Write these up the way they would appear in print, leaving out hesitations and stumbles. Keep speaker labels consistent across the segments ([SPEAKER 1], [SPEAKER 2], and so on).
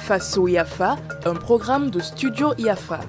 [SPEAKER 1] Faso Yafa, un programme de Studio Yafa.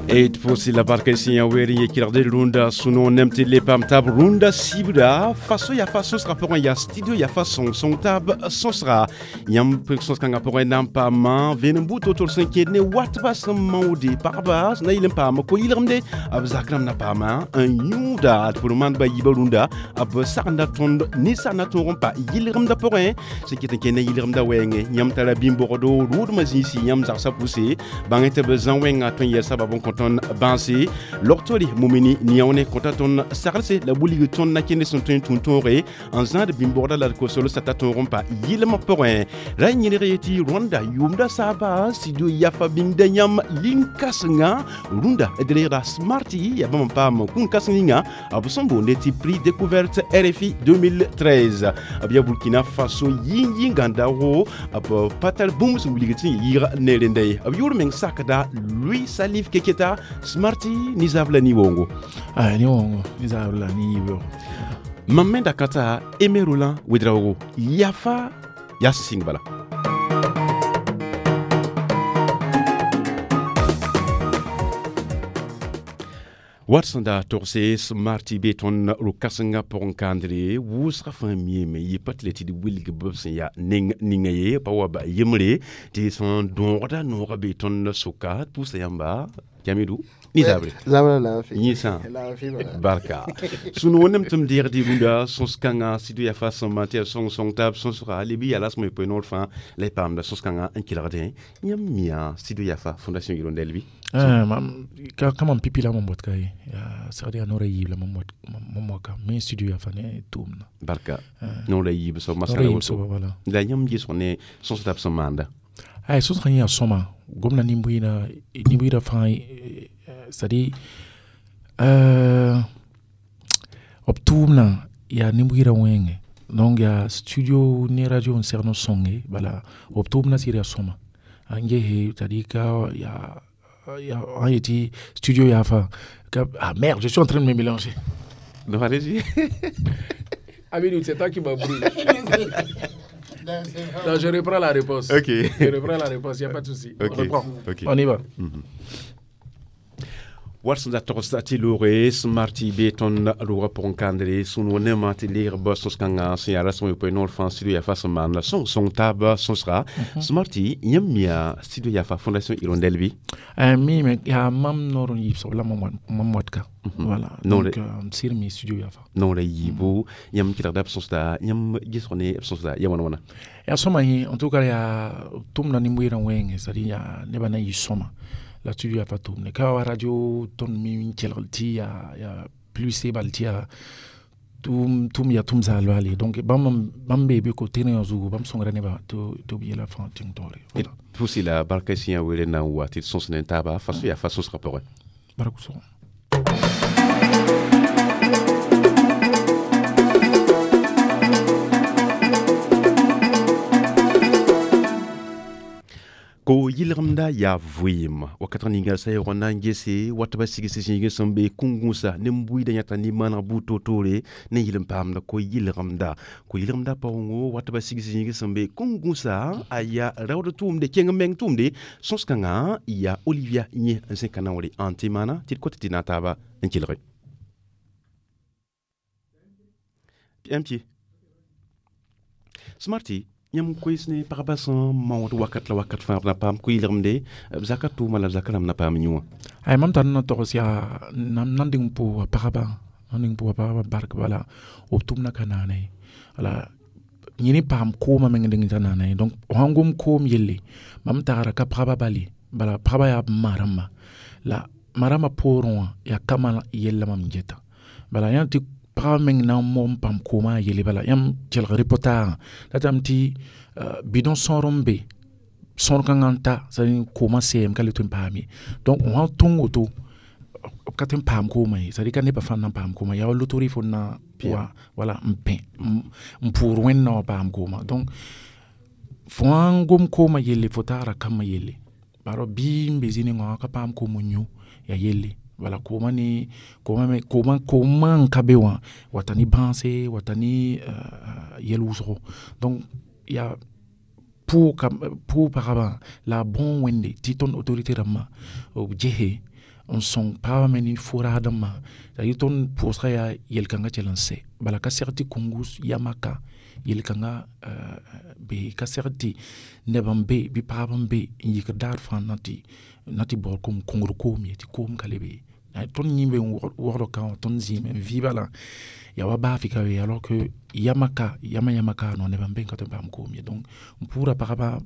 [SPEAKER 2] Et pour la barka ici weri ye kirde runda suno nemti le pam tab runda sibra faso ya faso sera pour ya studio ya façon son tab son sera yam son kanga pour nam pa ma ven buto tor sen ke ne wat ba sem maudi parba na ilem pa ma ko ilem ab zakram na pa ma un yuda pour man ba yiba runda ab sarna ton ni sarna toron pa ilem da pour un ce qui est ke ne ilem da wenge yam tala bimbordo rud ma zinsi yam zarsa poussé bangete bezan wenga ton yesa ba bon tõnd bãase log-tore mumini niaone kõta tõnd saglse la wilg tõnd na kende sẽn tõe n tũu tõoge n zãad bĩm-bogda la d kosol sata tõog n pa yɩlmã pʋgẽ ra yẽlg ye tɩ rwanda yʋʋmda saaba studio yafa bĩngda yãmb lin-kãsenga rũndã d reegda smarti yaa bãmb n paam kũn-kãseng ninga b sẽn boonde tɩ prix découverte RFI 2013. B yaa Burkina Faso yĩng-yĩngã daoogo b pa tar bũmb sẽn wilg tɩ yɩɩg ne rẽnda ye. B yʋʋr meng sakda Louis Salif Keketa. Smarti ni zabla ni wongo.
[SPEAKER 3] Ah, ni wongo ni zabla ni yibo.
[SPEAKER 2] Mam me da kata Aimé Roland Ouedraogo yafa ya sing bala. Wat sẽn da togse smarti be tõnd ro-kãsengã pʋgẽ kãndre wʋsgã fãa miime yɩ pa tɩ le tɩ d wilg b sẽn yaa neng ninga ye pa wa ba yembre tɩ sẽn dõogda noogã be tõnd sʋka. D pʋʋsa yãmba Kamidou ni zabre.
[SPEAKER 4] Zabra lafi.
[SPEAKER 2] Yĩsã.
[SPEAKER 4] Lafi bala.
[SPEAKER 2] Barka. Sũ-noog nem tɩ m deegd rũndã sõs-kãngã sɩd yaa fa sẽn maan tɩ yaa sõng-sõng taab sõsga lebi yaa la sẽn poe noor fãa la y paamda sõs-kãngã n kelgdẽ. Yãmb mia studio Yafa Fondation Hirondelle bɩ?
[SPEAKER 3] Ah, mam ka mam pipi la mam bot ka ye. Ya sagde ya nora yib la mam wat mam waka me studio ya fa ne tumna.
[SPEAKER 2] Barka. Noor la yiib soab
[SPEAKER 3] Nora
[SPEAKER 2] masala
[SPEAKER 3] yib
[SPEAKER 2] woto.
[SPEAKER 3] so voilà.
[SPEAKER 2] La yãmb ges ne sõs tab sẽn maanda?
[SPEAKER 3] Ay so sã ya soma gomna nimbuina nimbuida fãa, c'est-à-dire b tʋʋmna yaa nimbuida wẽnge, donc yaa studio ne radio n segd n sõnge bala b tʋʋmna sɩd yaa sõma n gese, c'est-à-dire ka yaa yaa an yetɩ studio yaa fa ka. Ah merde, je suis en train de me mélanger.
[SPEAKER 2] Non, allez-y.
[SPEAKER 3] Amidou, c'est toi qui m'as brûlé. Non, je reprends la réponse.
[SPEAKER 2] Ok.
[SPEAKER 3] Je reprends la réponse, il n'y a pas de souci.
[SPEAKER 2] Ok.
[SPEAKER 3] On reprend.
[SPEAKER 2] Ok.
[SPEAKER 3] On y va.
[SPEAKER 2] Wat sẽn da togsda tɩ loore smarti be tõnd rogã pʋgẽ kãndre sũ-noog nemã tɩ leegba sõs-kãngã sẽn yaa rasem yopoe noor fãa studio Yafa sẽn maanda sõng-sõng taab sõsga. Smarti, yãmb mia studio Yafa Fondation Hirondelle bɩ?
[SPEAKER 3] Mi me yaa mam noor n yiib soab la mam watka. Voilà.
[SPEAKER 2] Non,
[SPEAKER 3] Donc, sɩd mi studio yaa fa.
[SPEAKER 2] Noor la yiibu yãmb kelgda b sõsda, yãmb gesg ne b sõsda ya wãna wãna?
[SPEAKER 3] Yaa sõma yẽ, en tout cas yaa tʋmda nin-bʋɩɩrã wẽnge, c'est à dire yaa nebã na yɩ sõma la studio yaa fa tʋʋmde ka wa radio tõnd mi n kelgl tɩ yaa plus bal tɩ yaa tʋm tʋm yaa tʋm zaal baale. Donc bãmb bee be ko tẽrẽ wã zugu bãmb sõngra nebã tɩ b yɛla fãa tẽng taoore. Voilà.
[SPEAKER 2] Pʋʋs la barka sẽn yaa wele na n wa tɩ d sõs ne taaba faso yaa fa sõsgã pʋgẽ.
[SPEAKER 3] Bark wʋsgo.
[SPEAKER 2] Ko yɩlgemda yaa vɩɩm wakat ninga sa yaoog na n gese wat ba sigs zĩig sẽn be kũn-gũusa ne buiida yãta ne maneg buud toor-toore ne yɩl n paamda ko yɩlgemda paoongo wat ba sigs zĩig sẽn be kũn-gũusa a yaa raood tʋʋmde kẽng meng tʋʋmde sõs-kãngã yaa Olivia yẽ n zẽka naoore ãn tɩ maana tɩ d kot tɩ na taaba n kelge MP Smarty. Yãmb koes ne pagba sẽn maood wakat la wakat fãa b na paam koɩɩlgemde b zaka tʋʋma la b zaka rãmb na paam yũ wã?
[SPEAKER 3] Ay, mam tar na togs yaa nan nan dɩng pʋʋga pagba, nan dɩng pʋʋga pagba bark bala b tʋmna ka naana ye. Wala yẽ ne paam koomã meng dɩng t'a naana ye. Donc sãn gom koom yelle mam tagra ka pagba bal ye, bala pagba yaa b ma rãmba la ma rãmbã poorẽ wã yaa kama yella mam geta bala yã tɩ pagba meng na n mog n paam koomã yelle bala yãmb kelg reportage datame tɩ bidon sõor n be sõor kãngã n ta, c'est à dire koomã sɛɛm ka le tõe n paam ye. Donc sã tõng woto b ka tõe n paam koomã ye, c'est à dire ka nebã fãa n na n paam koomã yaa wa loterie fo na wa wala n pẽ n pʋʋr wẽnna wã paam koomã. Donc fo sãn gom koomã yelle fo tagra kambã yelle barã bɩ n be zĩ nengã wã ka paam koom n yũ yaa yelle. Wala koomã ne koomã me koomã koomã n ka be wã wata ne bãase wata ne yɛl wʋsgo. Donc yaa pʋʋ pagabã la a bõo wẽnde tɩ tõnd autorité rãmbã b gese n sõng pagabã me ne fo-raadãmbã t'a tõnd pʋʋsgã yaa yel-kãngã kell n sɛ bala ka seg tɩ kongus yamaka yel-kãngã be ka seg tɩ neb n be bɩ pagb n be n yikd daar fãa na tɩ baood koom kongr koom ye tɩ koom ka le be ye tõnd yĩmbe n wogd kã wã tõnd zĩime n vɩ bala ya wa baafɩ ka be alors que yamaka yama yama ka no neb n be n ka tõe n paam koom ye donc n pʋʋra pagba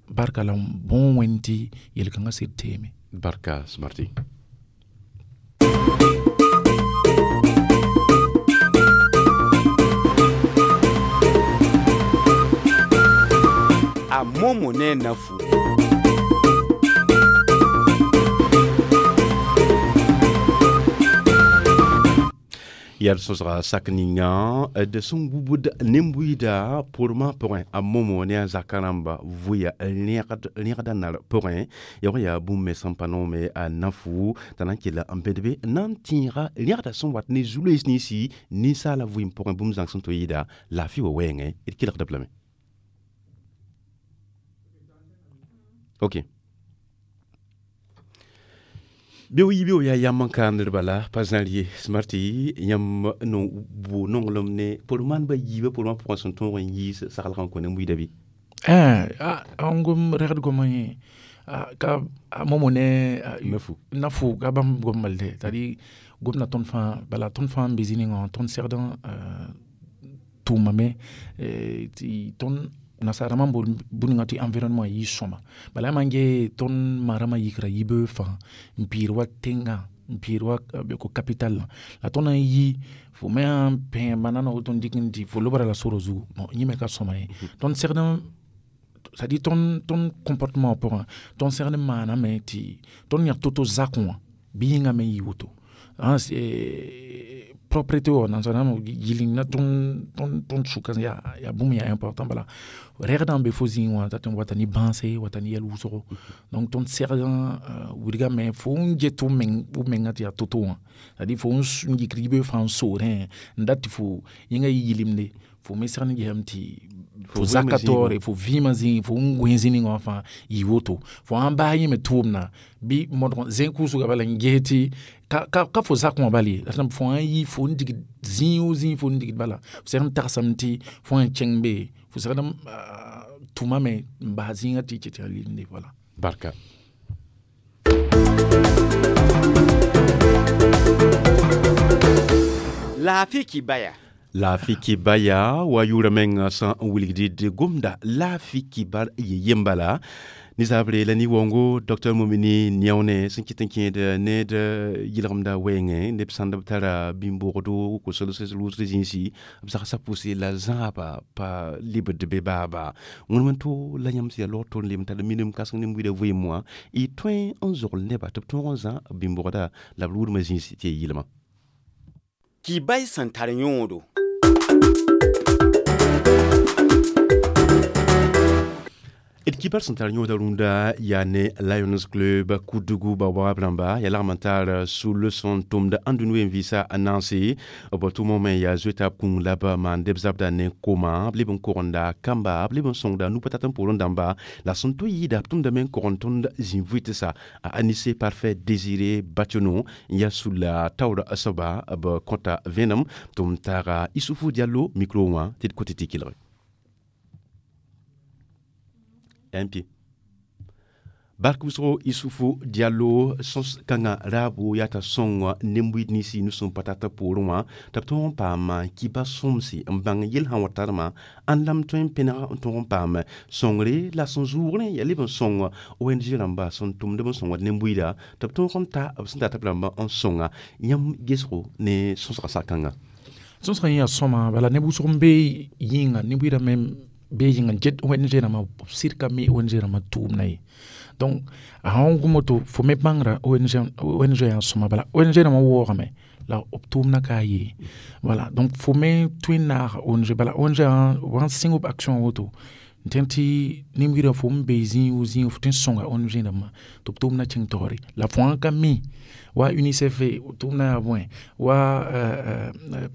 [SPEAKER 3] barka la n bõo wẽnd tɩ yel-kãngã sɩd teeme.
[SPEAKER 2] Barka smarti.
[SPEAKER 4] A momo ne nafu.
[SPEAKER 2] Yal sõsga sak ninga d sẽn wubd nin-buiida pʋrmã pʋgẽ a momo ne a zaka rãmba vʋya rẽgda nar pʋgẽ ya wã yaa bũmb me sẽn pa noome a nafu t'a na n kell n bẽd be n na n tẽega rẽgda sẽn wat ne zu-loees ninsi ninsaala vɩɩm pʋgẽ bũmb zãng sẽn tɩ yɩɩda laafɩ wa wɛɛngẽ d kelgd b lame. Ok. Beo yibeo yaa yam n kaamdr bala pa zãr ye smarti yãmb no bʋ nonglem ne pʋr maan ba yiibã pʋrmã pʋgẽ sẽn tõog n yiis saglg n kõ ne buiida bɩ?
[SPEAKER 3] N gom rɛgd gomã yẽ ka momo ne nafu ka bãmb gom balde c'est à dire gomda tõnd fãa bala tõnd fãa n be zĩ ninga wã tõnd segd tʋʋmame tɩ tõnd nasaarãmbã n boond bũmb tɩ environnement yɩ sõma bala yaa maan gee tõnd ma-rãmbã yikra yibeoog fãa n piir wa tẽngã n piir wa capital la tõnd na n yi fo me sã n pẽ banana woto n dɩk n dɩ fo lobra la sora zugu yẽ me ka sõma ye tõnd segd c'est à dire tõnd comportement pʋgã tõnd segd n maaname tɩ tõnd yãk to-to zakẽ wã bɩ yĩngã me yɩ woto propreté wã nansã yɩl na tõnd sʋka yaa bũmb yaa important bala rɛgdã n be fo zĩig wã t'a tõe n wata ne bãase wata ne yɛl wʋsgo donc tõnd segd wilgame fo n get f mengã tɩ yaa to-to wã c'est à dire fo n yikd yibeoog fãa n soorẽ n dat tɩ fo yẽnga yɩ yɩlemde fo me segd n gesame tɩ fo zaka taoore fo vɩɩmã zĩig fo n gõe zĩ ninga wã fãa yɩ woto fo sãn bas yẽ me tʋʋmdã bɩ modg zẽ kʋʋsga bala n ges tɩ ka fo zakẽ wã bal ye la fo sã n yi fo n digd zĩig o zĩig fo n digd bala f segd n tagsame tɩ fo sã n kẽng be fo segd n tʋmame n bas zĩigã tɩ tɩ yaa lilende wala.
[SPEAKER 2] Barka.
[SPEAKER 4] Laafɩ kibaya.
[SPEAKER 2] Laafɩ kibaya wa yʋʋra meng sã n wilgd d gomda laafɩ kibar ye yembala nizabre la ni-waoongo Dr Momini Niaone sẽn kɩt n kẽed ned yɩlgemda wɛɛngẽ neb sãnd b tara bĩm-boogdo kosels rʋʋsd zĩisi b zagsã pʋse la zãaba pa lebd be baaba wẽnem n to la yãmb sẽn yaa log tʋr n leb n tar minim kãseng ne buiida vɩɩm wã y tõe n zogl neba tɩ b tõog n zã bĩm-boogda la b rʋʋdmã zĩis tɩ ya yɩlma.
[SPEAKER 4] Kibay sẽn tar yõodo.
[SPEAKER 2] D kibar sẽn tar yõoda rũndã yaa ne Lions Club Koudougou baobab rãmba yaa lagm n tar sul sẽn tʋmd ãndũni wen-vɩɩsã a naanse b tʋmame me yaa zoeta b kũung la b maan b zabda ne koma b leb n kogenda kamba b leb n sõngda nu-pa-tat n poorẽ dãmba la sẽn to yɩɩda b tʋmdame n kogend tõnd zĩ-vʋɩtsa a Anissé Parfait Désiré Bationo n yaa sulla taoor soaba b kõta vẽenem tɩ m taaga Issoufou Diallo micro wã tɩ d kõtɩ tɩ kelge. MP. Bark wʋsgo Issoufou Diallo sõs kãngã raabo yaa t'a sõng nen-buiid ninsi nu-sẽn pa tat poorẽ wã tɩ b tõog n paam kiba sõmse n bãng yel sã wa tarmã ãn la m tõe n pẽneg n tõog n paam sõngre la sẽn zʋʋgrẽ yaa leb n sõng ONG rãmba sẽn tʋmd b n sõngd nen-buiida tɩ b tõog n ta b sẽn dat b rãmbã n sõnga yãmb gesgo ne sõsga sak-kãngã.
[SPEAKER 3] Sõsgã yẽ yaa sõma bala neb wʋsg n be yĩnga ne-buiidã me be yĩnga n get ONG rãmbã b sɩd ka mi ONG rãmbã tʋʋmdã ye donc a sãn gom woto fo me bãngra ONG yaa sõma bala ONG rãmbã waoogame la b tʋʋmdã ka ye voilà donc fo me tõe n naaga ONG bala ONG b sãn sɩng b action woto n tẽn tɩ nin-buiidã fo n be zĩig o zĩig fo tõe n sõnga ONG rãmbã tɩ b tʋʋmdã kẽng taoore la fo sãn ka mi Wa UNICEF tʋʋmdã yaa bõe, wa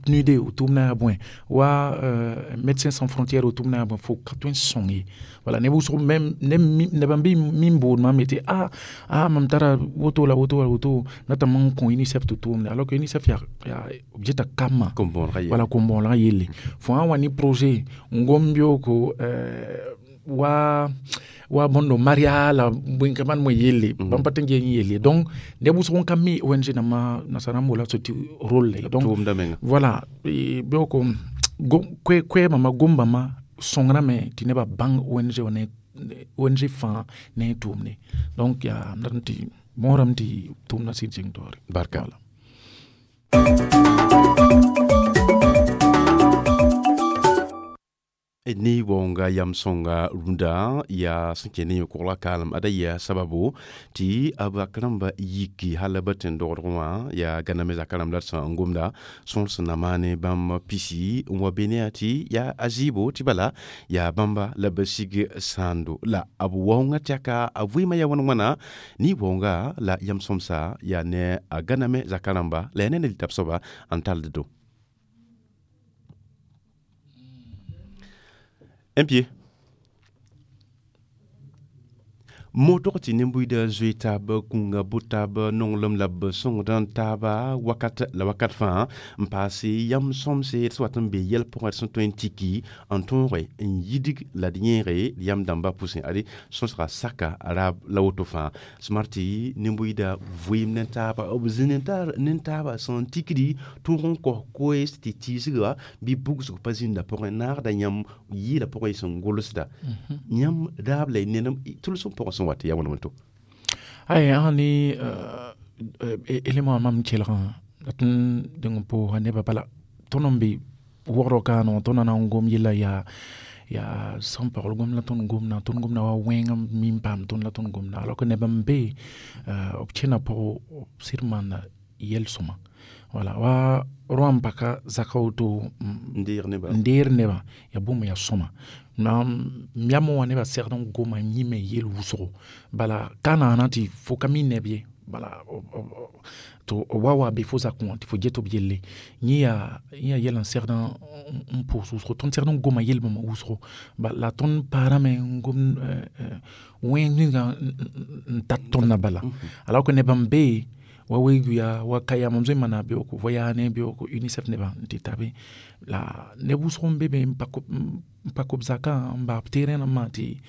[SPEAKER 3] PNUD tʋʋmdã yaa bõe, wa Médecins Sans Frontières tʋʋmdã yaa bõe, fo ka tõe n sõng ye. Wala neb wʋsg même neb n bɩ min bood maam yetɩ a mam tara woto la woto la woto datame n kõ UNICEF tɩ tʋʋmde, alors que UNICEF yaa b geta kamã, wala kom-bõonegã yelle. Fo sã n wa ne projet n gom beooko wa bõndo Maria la bõe ka maan bõe yelle, bãmb pa tõe n gee n yelle. Donc neb wʋsg n ka mi ONG dãmbã nasara n boola tɩ rôle ye. Donc voilà, beooko koɛɛmã gom-bãmba sõngrame tɩ nebã bãng ONG wã ne ONG fãa ne a tʋʋmde. Donc yaa m dat n tɩ mõorame tɩ tʋʋmdã sɩd zĩng taoore.
[SPEAKER 2] Barka.
[SPEAKER 3] Voilà.
[SPEAKER 2] Ne waoonga yam sõnga rũndã yaa sẽn kẽ ne yõ-kogla kaalem ada yaa sababu tɩ b rãmba yiki hal b tẽn-dogdg wã yaa gãname zakã rãmb la d sẽn gomda sõor sẽn na maane bãmb pisi n wa be ne yaa tɩ yaa a zɩɩbo tɩ bala yaa bãmba la b sig sãando la b waoongã tɛka a vɩɩmã yaa wãn-wãna ne waoonga la yam sõmsa yaa ne a gãname zakã rãmba la yaa ne ne litab soaba n tald do. Un pied. Motog tɩ nin-buiidã zoe taab kũnga bʋ taab nonglem la b sõngd n taaba wakat la wakat fãa n paase yam sõmse d sẽn wat n be yɛl pʋgẽ d sẽn tõe n tiki n tõoge n yidg la d yẽege d yam dãmbã pʋsẽ ade sõsga saka raab la woto fãa smart tɩ nin-buiidã vɩɩm ne taaba b zĩ ne taaba sẽn tikdi tõog n kos koees tɩ tiisga bɩ bugsg pa zĩnda pʋgẽ naagda yãmb yɩɩla pʋgẽ sẽn gʋlsda yãmb raab la y nenem tʋlsem pʋgẽ sẽn wat yaa wãn woto.
[SPEAKER 3] Ay ãni élément mam kelgã dat n dẽng n pʋʋsa nebã bala tõnd n be wogrã kaaneg tõnd na n gom yella yaa sẽn paool gom la tõnd gomda wa wẽng n mi n paam tõnd la tõnd gomda, alors que neb n be b kẽna pʋgẽ b sɩd maanda yɛl-sõma. Wala wa rõam n paka zaka woto
[SPEAKER 2] n
[SPEAKER 3] deer nebã yaa bũmb yaa sõma. M yam wã nebã segd n goma n yĩme yel wʋsgo, bala ka naana tɩ fo ka mi neb ye, bala tɩ b wa be fo zakẽ wã tɩ fo get b yelle. Yẽ yaa yɛl n segd n pʋʋs wʋsgo, tõnd segd n goma yel-bãmba wʋsgo, la tõnd paarame n gom wẽng ninga n tat tõndã bala, alors que neb n be wa weoog wa ka yaa mam zoe n maana beooko voyane beooko UNICEF nebã n tɩ ta be la neb wʋsg n be be n pa b zakã n baa b terrain rãmbã tɩ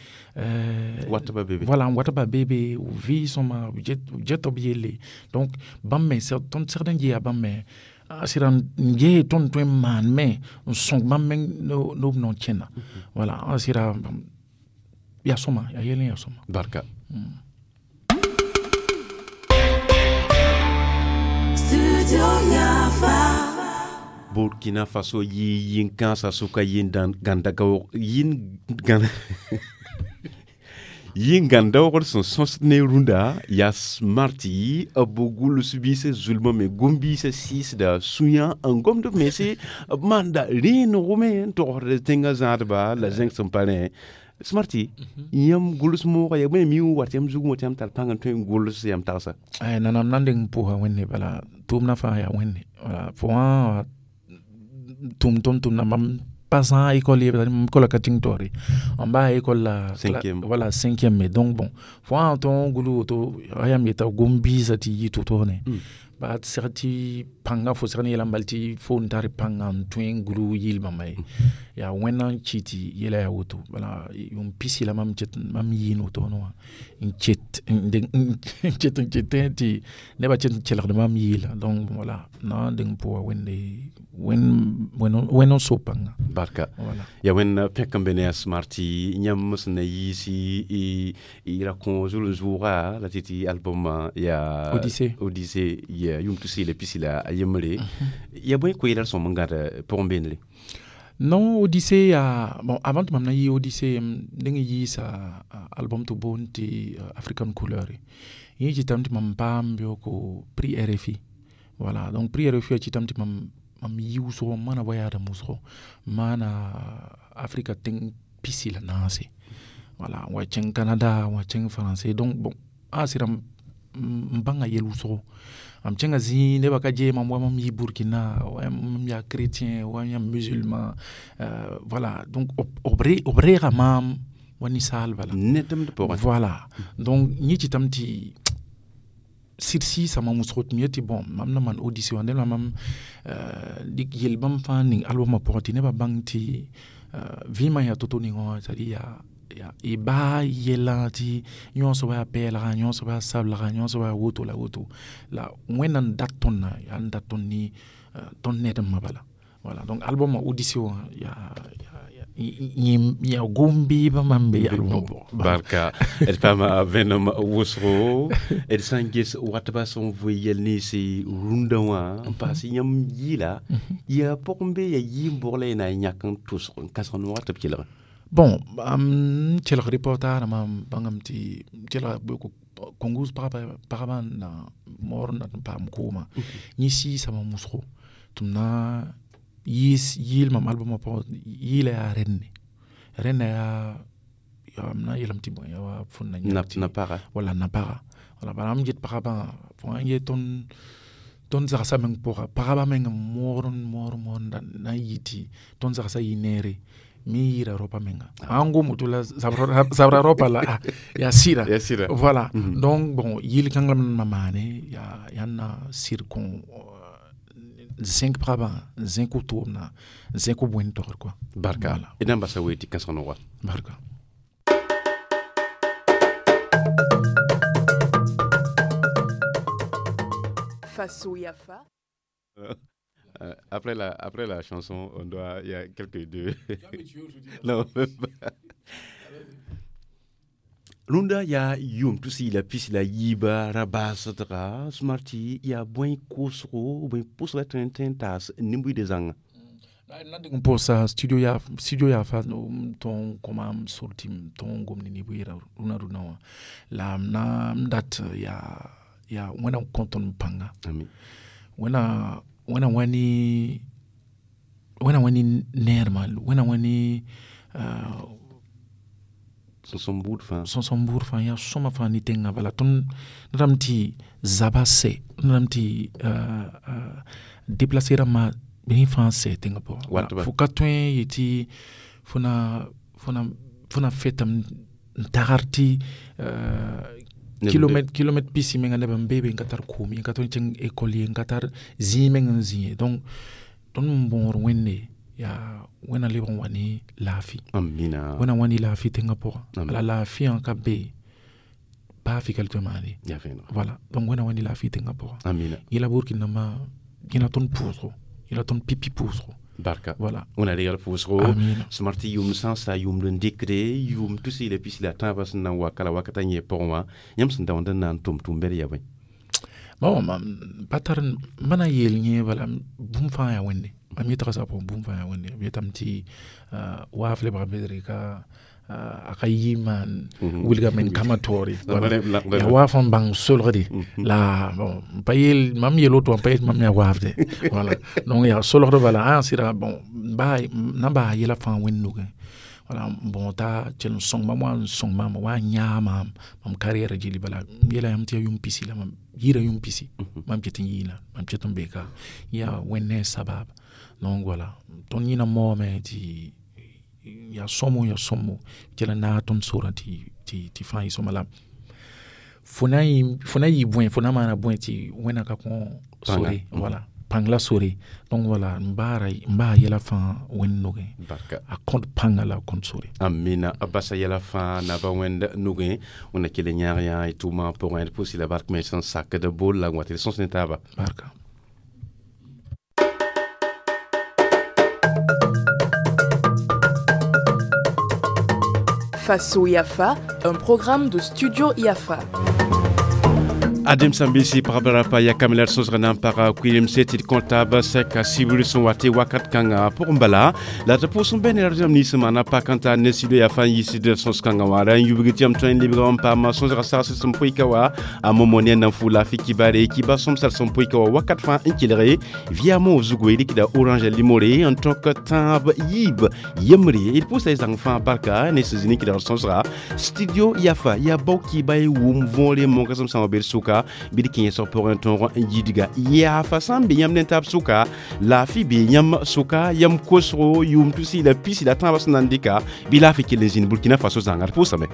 [SPEAKER 3] voilà n watba be be b vɩ sõma b get b yelle. Donc bãmb me tõnd segd n geeya bãmb me a sɩda n gee tõnd tõe n maan me n sõg bãmb meng no b nao kẽna. Voilà, a sɩda yaa sõma, yaa yɛl n yaa sõma.
[SPEAKER 2] Barka. Burkina Faso yi yin kãnsã sʋka yin gãndaoogd sẽn sõs ne rũndã yaa smarti b gʋls biisã zulmã me gom-biisã sɩɩsda sũyã n gomd b mense b maanda rẽenego me n togsd tẽngã zãadba la zẽng sẽn pa rẽ. Smarti yãmb gʋls moogã yaa bõe mi n wat yãmb zugẽ wã tɩ yãmb tar pãng n tõe n gʋls yãmb tagsa?
[SPEAKER 3] Nanam na n deng n pʋʋsa Wẽnde bala tʋʋmdã fãa yaa Wẽnde. Wala fo wã tʋm tõnd tʋmda mam pa zãag école ye, mam école ka tĩng taoore, mam baa école la voilà cinquième me. Donc bon, fo wã tõog n gul woto a yãmb yeta gom-biisã tɩ yɩ to-to ne ba segd tɩ pãngã fo segd n yeelame bal tɩ fo n tar pãngã n tõe n gulu yɩl-bãmba ye. Yaa Wẽnna n kɩ tɩ yɛla yaa woto. Bala yʋʋm pisi la mam yɩɩn woto wã n ket n ketẽ tɩ nebã ket n kelgd mam yɩɩla. Donc voilà, na n deng n pʋʋsa Wẽnde Wẽnd n so pãnga.
[SPEAKER 2] Barka.
[SPEAKER 3] Voilà.
[SPEAKER 2] Ya Wẽnd pẽk n be ne yaa smarti yãmb sẽn na yiisi y ra kõ zuln-zʋʋga la tɩ tɩ album yaa
[SPEAKER 3] Odyssée.
[SPEAKER 2] Odyssée ya yʋʋm tus la pisi la a yembre. Ya bõe koeelr sõm n gãd pʋgẽ beendre?
[SPEAKER 3] Non, Odyssée ya bon, avant tɩ mam na yɩ Odyssée m deng n yiisa album tɩ boond tɩ African Couleur. Yẽ kɩtame tɩ mam paam beooko prix RFI. Voilà, donc prix RFI a kɩtame tɩ mam yi wʋsgo, m maana voyage wʋsgo, m maana Afrika tẽng pisi la naase. Voilà, n wa kẽng Canada, n wa kẽng Français. Donc bon, a sɩda n bãnga yɛl wʋsgo. Mam kẽnga zĩig nebã ka gee mam wa mam yɩ Burkina, wa mam yaa chrétien, wa yãmb musulman, voilà. Donc b reega maam wa ninsaal bala.
[SPEAKER 2] Nedemd pʋgẽ.
[SPEAKER 3] Voilà. Donc yẽ kɩtame tɩ sɩd sɩɩsa mam wʋsgo tɩ m yet tɩ bon, mam na maan audition wã la mam dɩk yel bãmb fãa ning albumã pʋgẽ tɩ nebã bãng tɩ vɩɩmã yaa to-to ningã wã, c'est à dire yaa y baa yɛlã tɩ yõ soaba yaa pɛɛlga, yõ soaba yaa sablega, yõ soaba yaa woto la woto. La Wẽnnaam dat tõndã yaa n dat tõnd ne tõnd nedembã bala. Voilà. Donc albumã audition wã yaa yaa gom-beebã mam be albumã pʋgẽ.
[SPEAKER 2] Barka. D paama vẽenem wʋsgo d sã n ges watba sẽn vʋɩ yɛl ninsi rũndã wã n paas yãmb yɩɩla yaa pʋgẽ be yaa yɩɩm-bʋg la y na n yãk n tʋsg n kãsg noogã tɩ b kelge.
[SPEAKER 3] Bon, am kelg reportage rãmbã bãngame tɩ kelga Congo pagba n na moor n dat n paam kooma. Yẽ sɩɩsa mam wʋsgo tɩ m na yɩɩl mam albumã pʋgẽ, yɩɩla yaa rẽnne. Rẽnna yaa m na n yeelame tɩ bõe yaa wa fõn na yãk
[SPEAKER 2] Na paga.
[SPEAKER 3] Wala na paga. Wala bala m get pagabã fo sã n yet tõnd zagsã meng pʋga, pagba meng n moor n moor moor n na n yɩ tɩ tõnd zagsã yɩ neere. Me yɩɩda raopã menga. Sã n gom woto la zabra raopã la yaa sɩda.
[SPEAKER 2] Yaa sɩda.
[SPEAKER 3] Voilà. Donc bon, yɩl kãng la m na maane yaa n na sɩd kõ zẽk pagabã, n zẽk wʋtʋʋmdã, n zẽk b wẽnd togr quoi.
[SPEAKER 2] Barka.
[SPEAKER 3] Voilà.
[SPEAKER 2] D na n basa wee tɩ kãsg noga.
[SPEAKER 3] Barka.
[SPEAKER 1] Faso Yafa.
[SPEAKER 2] Après la chanson, on doit, il y a quelques deux. Non, même pas. Rũndã yaa yʋʋm tʋ la pis la yiiba ra baasdga smarti yaa bõe koosgo bõe pʋsga tõe n tõe n taas nin-buiidã zãnga.
[SPEAKER 3] Na dɩk n pʋʋsa studio yaa studio yaa fa n tõog n kõ maam sor tɩ m tõog n gom ne neb yɛla rũnã rũnã wã. La m na n dat yaa yaa Wẽnnaam kõ tõnd pãnga.
[SPEAKER 2] Ami.
[SPEAKER 3] Wẽnna wẽna wã ne wẽna wã ne neermã, wẽna wã ne
[SPEAKER 2] Sõsem buud fãa.
[SPEAKER 3] Sõsem buud fãa yaa sõma fãa ne tẽngã bala. Tõnd rãmb tɩ zaba sɛ, tõnd rãmb tɩ déplacer rãmbã rẽ fãa sɛ tẽngã pʋgã.
[SPEAKER 2] Wat ba.
[SPEAKER 3] Fo ka tõe n yetɩ fo na fo na fo na fetame n tagr tɩ kilomɛt pisi menga neb n be be n ka tar koom ye, n ka tõe n kẽng école ye, n ka tar zĩig meng n zĩ ye. Donc tõnd n bõor Wẽnde yaa Wẽnna lebg n wa ne laafɩ.
[SPEAKER 2] Amina.
[SPEAKER 3] Wẽnna wã ne laafɩ tẽngã pʋgã.
[SPEAKER 2] Amin.
[SPEAKER 3] La laafɩyã ka be baa fɩ ka tõe n maane.
[SPEAKER 2] Yaa vẽeneg.
[SPEAKER 3] Voilà. Donc Wẽnna wã ne laafɩ tẽngã pʋgã.
[SPEAKER 2] Amina.
[SPEAKER 3] Yẽla Burkina rãmbã yẽla tõnd pʋʋsgo, yẽla tõnd pipi pʋʋsgo.
[SPEAKER 2] Barka.
[SPEAKER 3] Voilà.
[SPEAKER 2] Wẽnna regl pʋʋsgo.
[SPEAKER 3] Amina.
[SPEAKER 2] Smart tɩ yʋʋm sã n sa yʋʋmd n dɩkde yʋʋm tʋ la pis la tãabã sẽn na n wa kala wakata yẽ pʋgẽ wã yãmb sẽn daoond n na n tʋm tʋʋm-bɛd yaa bõe?
[SPEAKER 3] Bon, mam pa tar m na n yeel yẽ bala bũmb fãa yaa Wẽnde. Mam yetga soab pʋgẽ bũmb fãa yaa Wẽnde. B yetame tɩ waaf lebga bedre ka a ka yɩ maan wilga men kama taoore. Yaa waaf n bãng solgde la bon pa yeel mam yeel woto wã pa yet mam yaa waafde. Voilà. Donc yaa solgd bala sɩda bon baa na n baa yɛla fãa Wẽnd nugẽ. Voilà, n bõo t'a kell n sõng mam wa n sõng maam wa n yãag maam mam carrière gilli bala m yeela yãmb tɩ yaa yʋʋm pisi la mam yɩɩra yʋʋm pisi mam ket n yɩɩna mam ket n be ka yaa Wẽnd ne a sabab. Donc voilà, tõnd yẽna maoome tɩ yaa sõmo yaa sõmo kell n naag tõnd sorã tɩ fãa yɩ sõma la fo na yɩ bõe fo na maana bõe tɩ Wẽnna ka kõ sore. Voilà, pãng la sore. Donc voilà, n baa yɛla fãa Wẽnd nugẽ.
[SPEAKER 2] Barka.
[SPEAKER 3] A kõt pãnga la a kõt sore.
[SPEAKER 2] Amina. A basa yɛla fãa naba Wẽnd nugẽ Wẽnna kell n yãag yã y tʋʋmã pʋgẽ d pʋʋs la bark me sẽn sakd bol la n wa tɩ d sõs ne taaba.
[SPEAKER 3] Barka.
[SPEAKER 1] Faso Yafa, un programme de Studio Yafa.
[SPEAKER 2] Adem sãn-biisi pagb rapa ya kamla d sõsg na n paga kʋɩlemse tɩ d kõ taab sɛka sibr sẽn wa tɩ wakat kãngã pʋgẽ bala la tɩ pʋʋs n bɛ ne rãmb nins sẽn maana pak n tar ne studio Yafa n yiisd sõs kãngã wã ra n yubg tɩ yãmb tõe n lebga n paama sõsga sagsd sẽn pʋɩka wa a momo ne na n fu laafɩ kibare kiba sõmsã sẽn pʋɩka wa wakat fãa n kelge via mo zugu y rɩkda orange limore n tõk tãab yiib yembre d pʋʋsa y zãng fãa barka ne sẽn zĩ ne kɩdgr sõsga studio Yafa yaa bao kiba y wʋm võore monkasem sã wa bed sʋka. sʋka bɩ d kẽesg pʋgẽ tõog n yidga. Yaafa sã n be yãmb ne taab sʋka, laafɩ bee yãmb sʋka, yãmb kosgo yʋʋm tusi la pisi la tãabã sẽn na n dɩka, bɩ laafɩ kell n zĩnd Burkina Faso zãnga. D pʋʋsame.